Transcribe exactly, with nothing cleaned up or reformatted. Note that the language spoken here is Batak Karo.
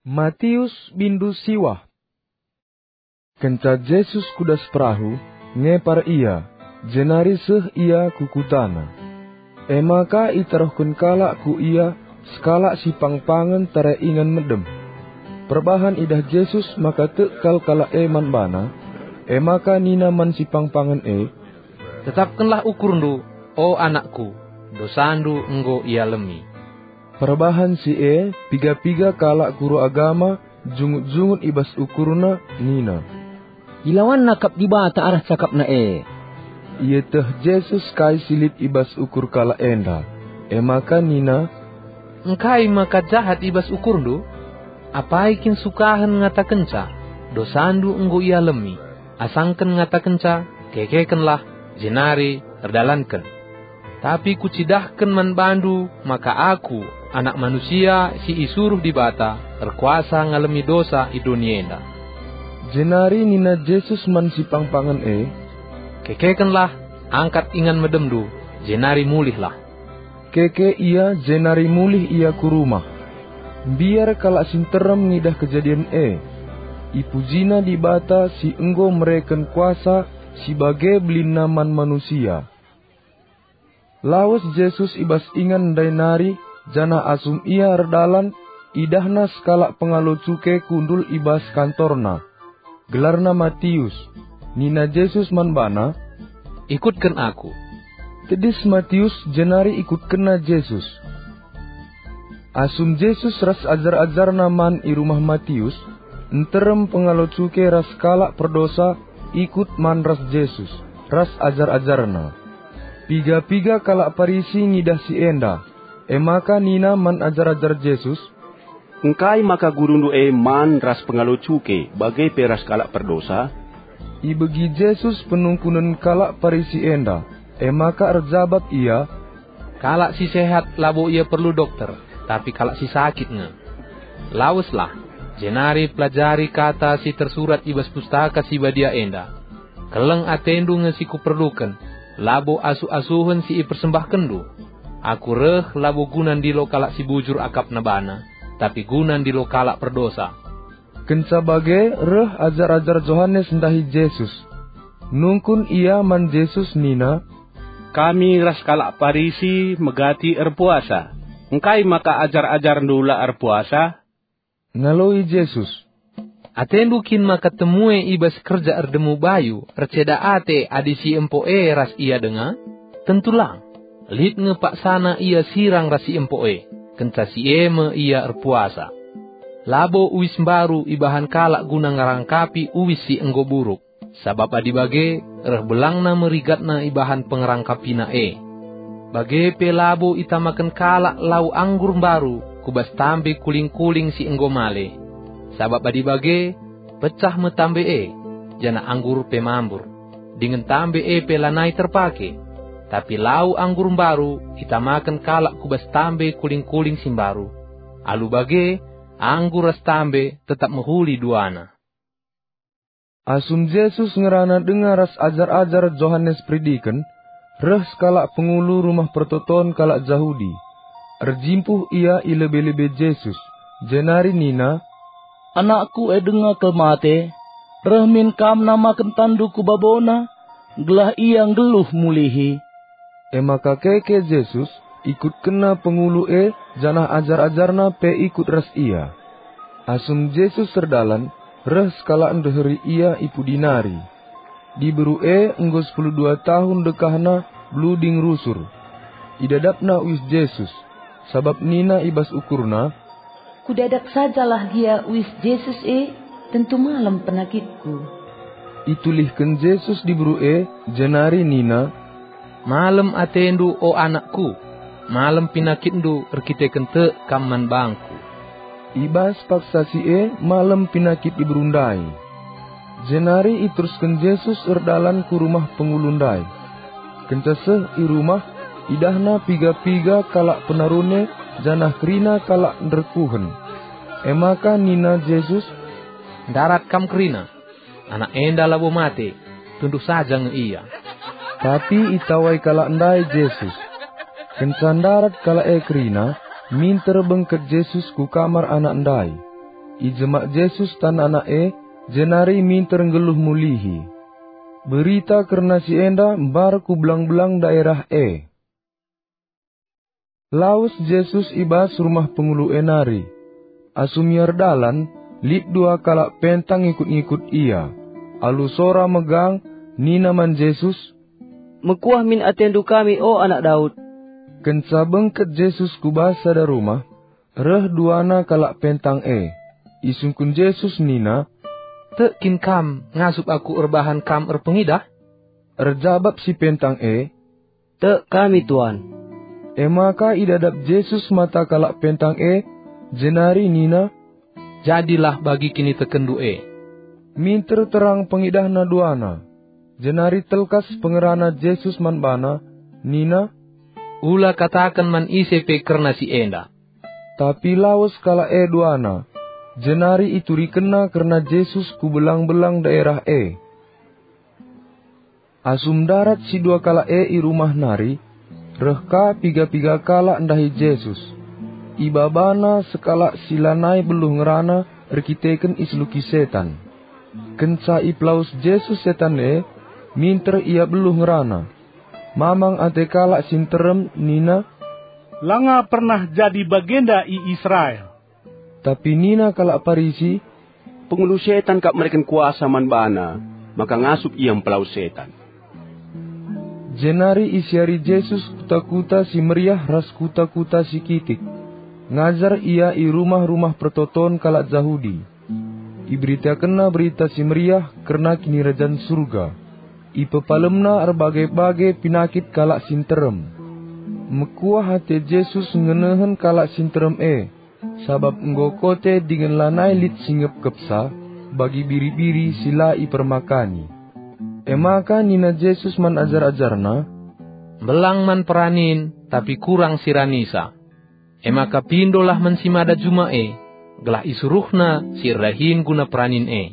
Matius bindu siwah. Kenca Jesus ku das perahu, ngepar ia, jenari seh ia ku kutana. E maka itaruhken kalak ku ia sekalak si pangpangen tare ingan medem. Perbahan idah Jesus maka tek kal kalak e man bana, e maka nina man si pangpangen e, "Tetapkenlah ukurndu, o anakku, dosandu enggo ialemi." Perbahan si e, piga-piga kalak guru agama jungut-jungut i bas ukurna nina, "Ilawanna kap Dibata arah cakapna e." Ieteh Jesus kai si lit i bas ukur kalak enda, e maka nina, "Engkai maka jahat i bas ukurndu? Apai kin sukahen ngatakenca, 'Dosandu enggo ialemi', asangken ngatakenca, 'Kekekenlah, jenari erdalanken'? Tapi kucidahken man bandu maka Aku, Anak Manusia si isuruh Dibata, erkuasa ngalemi dosa i doni enda." Jenari nina Jesus man si pangpangen e, "Kekekenlah, angkat ingan medemndu, jenari mulihlah." Keke ia, jenari mulih ia ku rumah. Mbiar kalak si nterem ngidah kejadin e. Ipujina Dibata si enggo mereken kuasa si bage belinna man manusia. Lawes Jesus i bas ingan ndai nari, janah asum ia erdalan, idahna sekalak pengalo cuke kundul i bas kantorna. Gelarna Matius. Nina Jesus man bana, "Ikutken Aku." Tedis Matius jenari ikutkenna Jesus. Asum Jesus ras ajar-ajarna man i rumah Matius, nterem pengalo cuke ras kalak perdosa ikut man ras Jesus ras ajar-ajarna. Piga-piga kalak Parisi ngidah si enda, e maka nina man ajar-ajar Jesus, "Engkai maka gurundu e man ras pengalo cuke, bage pe ras kalak perdosa?" Ibegi Jesus penungkunen kalak Parisi enda, e maka erjabap ia, "Kalak si sehat labo ia perlu dokter, tapi kalak si sakit nge. Laweslah, jenari pelajari kata si tersurat i bas Pustaka Si Badia enda. Keleng atendu nge si kuperluken, labo asuh-asuhen si ipersembahkenndu. Aku reh labo guna ndilo kalak si bujur akapna bana, tapi guna ndilo kalak perdosa." Kenca bage reh ajar-ajar Johanes ndahi Jesus. Nungkun ia man Jesus nina, "Kami ras kalak Parisi megati erpuasa. Engkai maka ajar-ajarndu la erpuasa?" Ngaloi Jesus, "Atendu kin maka temue i bas kerja erdemu bayu erceda ate adi si empo e ras ia denga? Tentu lang! Lit nge paksana ia sirang ras si empo e, kenca si e me ia erpuasa. Labo uis mbaru ibahan kalak guna ngerangkapi uis si enggo buruk, sabap adi bage, reh belangna me rigatna ibahan pengerangkapina e. Bage pe labo itamaken kalak lau anggur mbaru ku bas tambe kuling-kuling si enggo male. Sabap adi bage, pecah me tambe e, janah anggur pe mambur, dingen tambe e pe lanai terpake. Tapi lau anggur mbaru itamaken kalak ku bas tambe kuling-kuling si mbaru. Alu bage, anggur ras tambe tetap mehuli duana." Asum Jesus ngerana denga ras ajar-ajar Johanes Peridiken, reh sekalak pengulu rumah pertoton kalak Jahudi. Erjimpuh ia i lebe-lebe Jesus, jenari nina, "Anakku e denga kal mate. Reh min Kam namaken tanNdu ku babona, gelah ia nggeluh mulihi." E maka keke Jesus, ikutkenna pengulu e, janah ajar-ajarna pe ikut ras ia. Asum Jesus erdalan, reh sekalak ndeheri ia i pudi nari. Diberu e enggo sepuluh dua tahun dekahna bluding rusur. Idadapna uis Jesus, sabap nina i bas ukurna, "Kudadap sajalah gia uis Jesus e, tentu malem penakitku." Itulihken Jesus diberu e, jenari nina, "Malem atendu, o anakku, malem penakitndu erkiteken tek kam man bangKu." I bas paksa si e malem penakit diberu ndai. Jenari iterusken Jesus erdalan ku rumah pengulu ndai. Kenca seh i rumah, idahna piga-piga kalak penarune janah kerina kalak nderkuhen. E maka nina Jesus, "Ndarat kam kerina. Anak enda labo mate, tunduh saja nge ia." Tapi itawai kalak ndai Jesus. Kenca ndarat kalak e kerina, minter bengket Jesus ku kamar anak ndai. Ijemak Jesus tan anak e, jenari minter nggeluh mulihi. Berita kerna si enda mbar ku belang-belang daerah e. Lawes Jesus i bas rumah pengulu e nari. Asum ia erdalan, lit dua kalak pentang ngikut-ngikut ia. Alu sora megang, nina man Jesus, "Mekuah min atendu kami, o Anak Daud." Kenca bengket Jesus ku bas sada rumah, reh duana kalak pentang e. Isungkun Jesus nina, "Tek kin kam ngasup Aku erbahan kam erpengidah?" Erjabap si pentang e, "Tek kami, Tuan." E maka idadap Jesus mata kalak pentang e, jenari nina, "Jadilah bagi kinitekenndu e." Minter terang pengidahna duana, jenari telkas pengerana Jesus man bana, nina, "Ula kataken man ise pe kerna si enda." Tapi lawes kalak e duana, jenari iturikenna kerna Jesus ku belang-belang daerah e. Asum ndarat si dua kalak e i rumah nari, reh ka piga-piga kalak ndahi Jesus. Ibabana sekalak si lanai beluh ngerana erkiteken iseluki setan. Kenca ipelawes Jesus setan e, minter ia beluh ngerana. Mamang ate kalak si nterem nina, "Langa pernah jadi bagenda i Israel." Tapi nina kalak Parisi, "Pengulu setan kap mereken kuasa man bana, maka ngasup ia mpelawes setan." Jenari isiari Jesus kuta-kuta si meriah ras kuta-kuta si kitik. Ngajar ia i rumah-rumah pertoton kalak Jahudi. Iberitakenna Berita Si Meriah kerna Kinirajan Surga. Ipepalemna erbage-bage pinakit kalak si nterem. Mekuah ate Jesus ngenehen kalak si nterem e, sabap enggo kote dingen lanai lit si ngepkepsa bagi biri-biri si la ipermakani. E maka nina Jesus man ajar-ajarNa, "Mbelang man peranin, tapi kurang si ranisa. E maka pindolah man si mada juma e, gelah isuruhna si erdahin guna peranin e.